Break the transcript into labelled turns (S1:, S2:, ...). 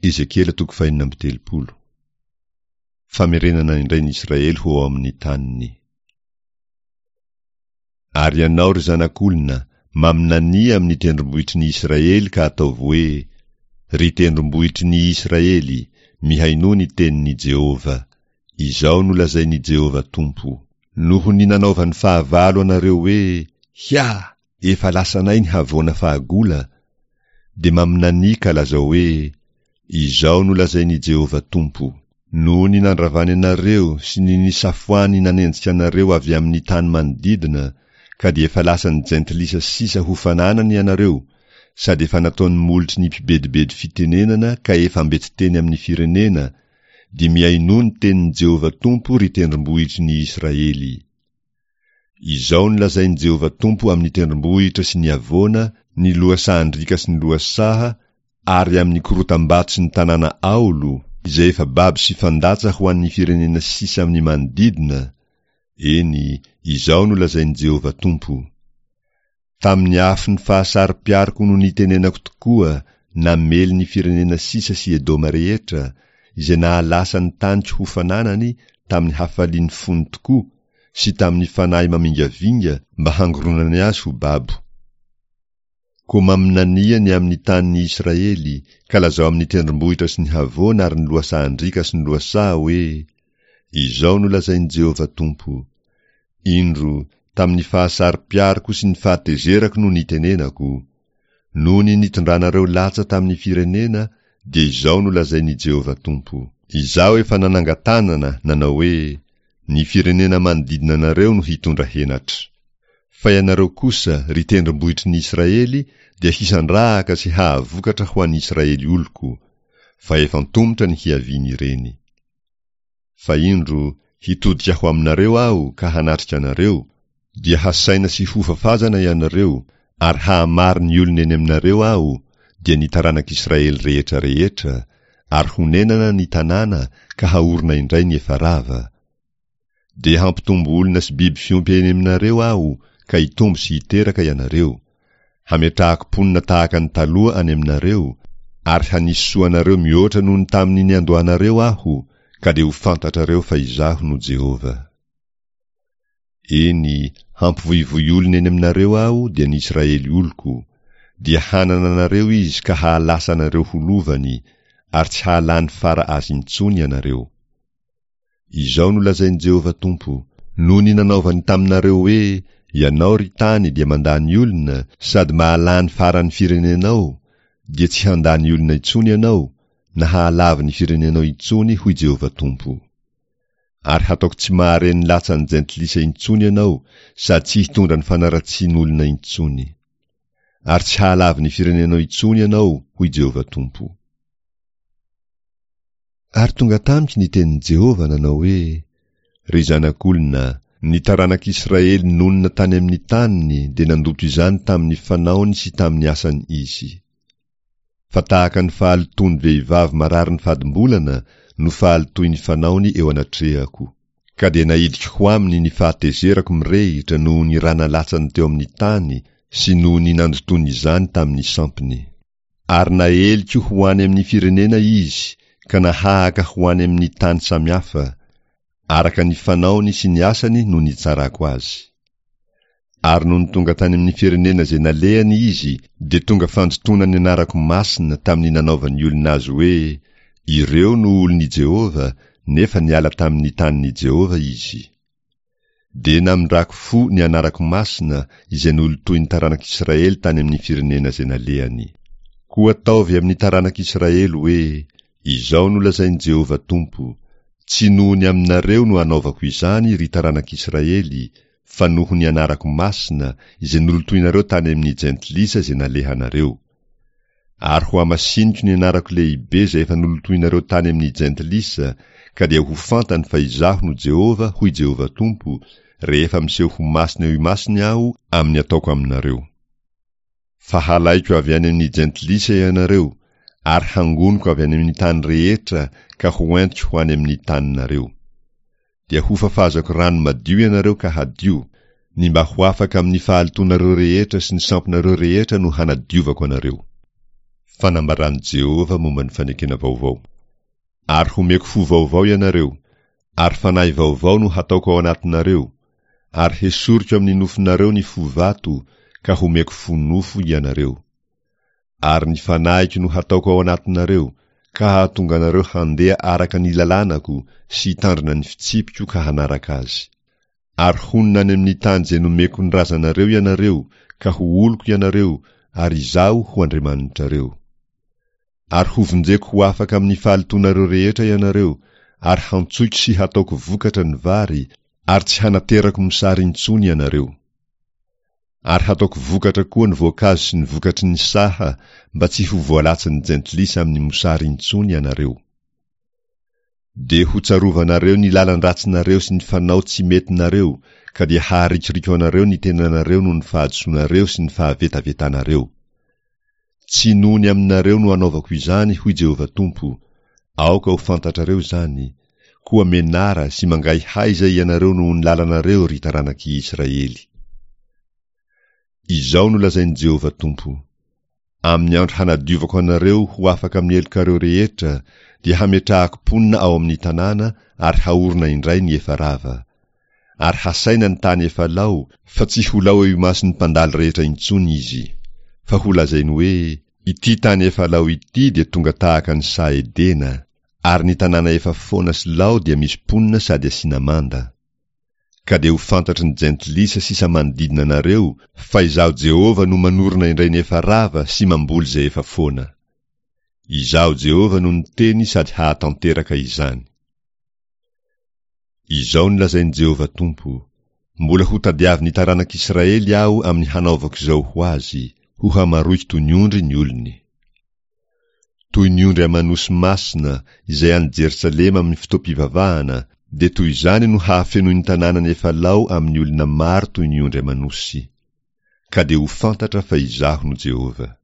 S1: Ezekiela toko fahenina amby 30. Famerenana indray ny Israely ho ao amin'ny taniny. Ary ianao, ry zanak'olona, maminania amin'ny tendrombohitry ny Israely ka ataovy hoe, Ry tendrombohitry ny Israely, mihainoa ny tenin'i Jehovah. Izao no lazain'i Jehovah Tompo, Noho ny nanaovan'ny fahavalo anareo hoe, Hia! Efa lasanay ny havoana fahagola, dia maminania ka lazao hoe, Izao no lazain'i Jehovah Tompo, Noho ny nandravany anareo sy ny nisafoany nanenjika anareo avy amin'ny tany manodidina, ka dia efa lasan'ny jentilisa sisa ho fananany ianareo, sady efa nataon'ny molotry ny mpibedibedy fitenenana ka efa ambetiteny amin'ny firenena, dia mihainoa ny tenin'i Jehovah Tompo, ry tendrombohitry ny Israely. Izao no lazain'i Jehovah Tompo amin'ny tendrombohitra sy ny havoana, ny lohasahan-driaka sy ny lohasaha, ary amin'ny korotam-bato sy ny tanàna aolo, izay efa babo sy fandatsa ho an'ny firenena sisa amin'ny manodidina, eny, izao no lazain'i Jehovah Tompo, Tamin'ny afon'ny fahasaro-piariko no nitenenako tokoa namely ny firenena sisa sy Edoma rehetra, izay nahalasa ny taniko ho fananany tamin'ny hafalian'ny fony tokoa sy tamin'ny fanahy mamingavinga mba hangoronany azy ho babo. Koa maminania ny amin'ny tanin'i Israely, ka lazao amin'ny tendrombohitra sy ny havoana ary ny lohasahan-driaka sy ny lohasaha hoe, Izao no lazain'i Jehovah Tompo, Indro, tamin'ny fahasaro-piariko sy ny fahatezerako no nitenenako. Noho ny nitondranareo latsa tamin'ny firenena, dia izao no lazain'i Jehovah Tompo, Izaho efa nanangan-tanana, nanao hoe, Ny firenena manodidina anareo no hitondra henatra. Fa ianareo kosa, ry tendrombohitry ny Israely, dia hisandrahaka sy hahavokatra ho an'ny Israely oloko, fa efa antomotra ny hiavian'ireny. Fa indro, hitodika ho aminareo Aho ka hanatrika anareo, dia hasaina sy hofafazana ianareo, ary hahamaro ny olona eny aminareo Aho, dia ny taranak'Israely rehetra rehetra, ary honenana ny tanàna ka haorina indray ny efa rava. Dia hampitombo olona sy biby fiompy eny aminareo Aho, ka hitombo sy hiteraka ianareo. Hametrahako mponina tahaka ny taloha any aminareo, ary hanisy soa anareo mihoatra noho ny tamin'ny niandohanareo Aho, ka dia ho fantatrareo fa Izaho no Jehovah. Eny, hampivoivoy olona eny aminareo Aho, dia ny Israely oloko, dia hanana anareo izy ka hahalasa anareo ho lovany, ary tsy hahalany fara azy intsony ianareo. Izao no lazain'i Jehovah Tompo, Noho ny nanaovany taminareo hoe, 'Ianao, ry tany, dia mandany olona, sady mahalany faran'ny firenenao', dia tsy handany olona intsony ianao, na hahalavo ny firenenao intsony, hoy Jehovah Tompo. Ary hataoko tsy mahare ny latsan'ny jentilisa intsony ianao, sady tsy hitondra ny fanaratsian'olona intsony. Ary tsy hahalavo ny firenenao intsony ianao, hoy Jehovah Tompo. Ary tonga tamiko ny tenin'i Jehovah nanao hoe, Ry zanak'olona, ny taranak'Israely nonina tany amin'ny taniny dia nandoto izany tamin'ny fanaony sy tamin'ny asany izy. Fa tahaka ny fahalotoan'ny vehivavy marary ny fadimbolana no fahalotoin'ny fanaony eo anatrehako. Ka dia naidiko ho aminy ny fahatezerako mirehitra noho ny ra nalatsany teo amin'ny tany sy noho ny nandotoany izany tamin'ny sampiny. Ary naheliko ho any amin'ny firenena izy ka nahahaka ho any amin'ny tany samihafa, araka ny fanaony sy ny asany no nitsarako azy. Ary nony tonga tany amin'ny firenena izay nalehany izy, dia tonga fandotoana ny anarako masina tamin'ny nanaovan'ny olona azy hoe, Ireo no olon'i Jehovah, nefa niala tamin'ny tanin'i Jehovah izy. Dia namindrako fo ny anarako masina izay nolotoin'ny taranak'Israely tany amin'ny firenena izay nalehany. Koa ataovy amin'ny taranak'Israely hoe, Izao no lazain'i Jehovah Tompo, Tsy noho ny aminareo no anaovako izany, ry taranak'Israely, fa noho ny anarako masina izay nolotoinareo tany amin'ny jentilisa izay nalehanareo. Ary hohamasiniko ny anarako lehibe izay efa nolotoinareo tany amin'ny jentilisa, ka dia ho fantany fa Izaho no Jehovah, hoy Jehovah Tompo, rehefa miseho ho masina eo imasony Aho amin'ny ataoko aminareo. Fa halaiko avy any amin'ny jentilisa ianareo, ary hangoniko avy any amin'ny tany rehetra ka hoentiko ho any amin'ny taninareo. Dia hofafazako rano madio ianareo ka hadio, ny mba ho afaka amin'ny fahalotoanareo rehetra sy ny sampinareo rehetra no hanadiovako anareo. Fanambaran'i Jehovah momba ny fanekena vaovao. Ary homeko fo vaovao ianareo, ary fanahy vaovao no hataoko ao anatinareo, ary hesoriko amin'ny nofonareo ny fo vato, ka homeko fo nofo ianareo. Ary ny fanahiko no hataoko ao anatinareo, ka hahatonga anareo handeha araka ny lalànako sy hitandrina ny fitsipiko ka hanaraka azy. Ary honina any amin'ny tany izay nomeko ny razanareo ianareo, ka ho oloko ianareo, ary Izaho ho Andriamanitrareo. Ary hovonjeko ho afaka amin'ny fahalotoanareo rehetra ianareo, ary hantsoiko sy hataoko vokatra ny vary, ary tsy hanaterako mosary intsony ianareo. Ary hataoko vokatra koa ny voankazo sy ny vokatry ny saha, mba tsy ho voalatsan'ny jentilisa amin'ny mosary intsony ianareo. Dia hotsarovanareo ny lalan-dratsinareo sy ny fanao tsy metinareo, ka dia haharikoriko anareo ny tenanareo noho ny fahadisoanareo sy ny fahavetavetanareo. Tsy noho ny aminareo no anaovako izany, hoy Jehovah Tompo, aoka ho fantatrareo izany, koa menara sy mangaihaiza ianareo noho ny lalanareo, ry taranak'i Israely. Izao no lazain'i Jehovah Tompo, Amin'ny andro hanadiovako anareo ho afaka amin'ny helokareo rehetra, dia hametrahako mponina ao amin'ny tanàna ary haorina indray ny efa rava. Ary hasaina ny tany efa lao, fa tsy ho lao eo imason'ny mpandalo rehetra intsony izy. Fa holazainy hoe, Ity tany efa lao ity dia tonga tahaka ny saha Edena, ary ny tanàna efa foana sy lao dia misy mponina sady asiana manda. Ka dia ho fantatry ny jentilisa sisa manodidina anareo fa Izaho Jehovah no manorina indray ny efa rava sy mamboly izay efa foana. Izaho Jehovah no niteny sady hahatanteraka izany. Izao no lazain'i Jehovah Tompo, Mbola hotadiavin'ny taranak'Israely Aho amin'ny hanaovako izao ho azy, hohamaroiko toy ny ondry ny olony. Toy ny ondry aman'osy masina izay any Jerosalema amin'ny fotoam-pivavahana, dia toy izany no hahafenoin'ny tanànany efa lao amin'ny olona maro toy ny ondry aman'osy. Ka dia ho fantatra fa Izaho no Jehovah.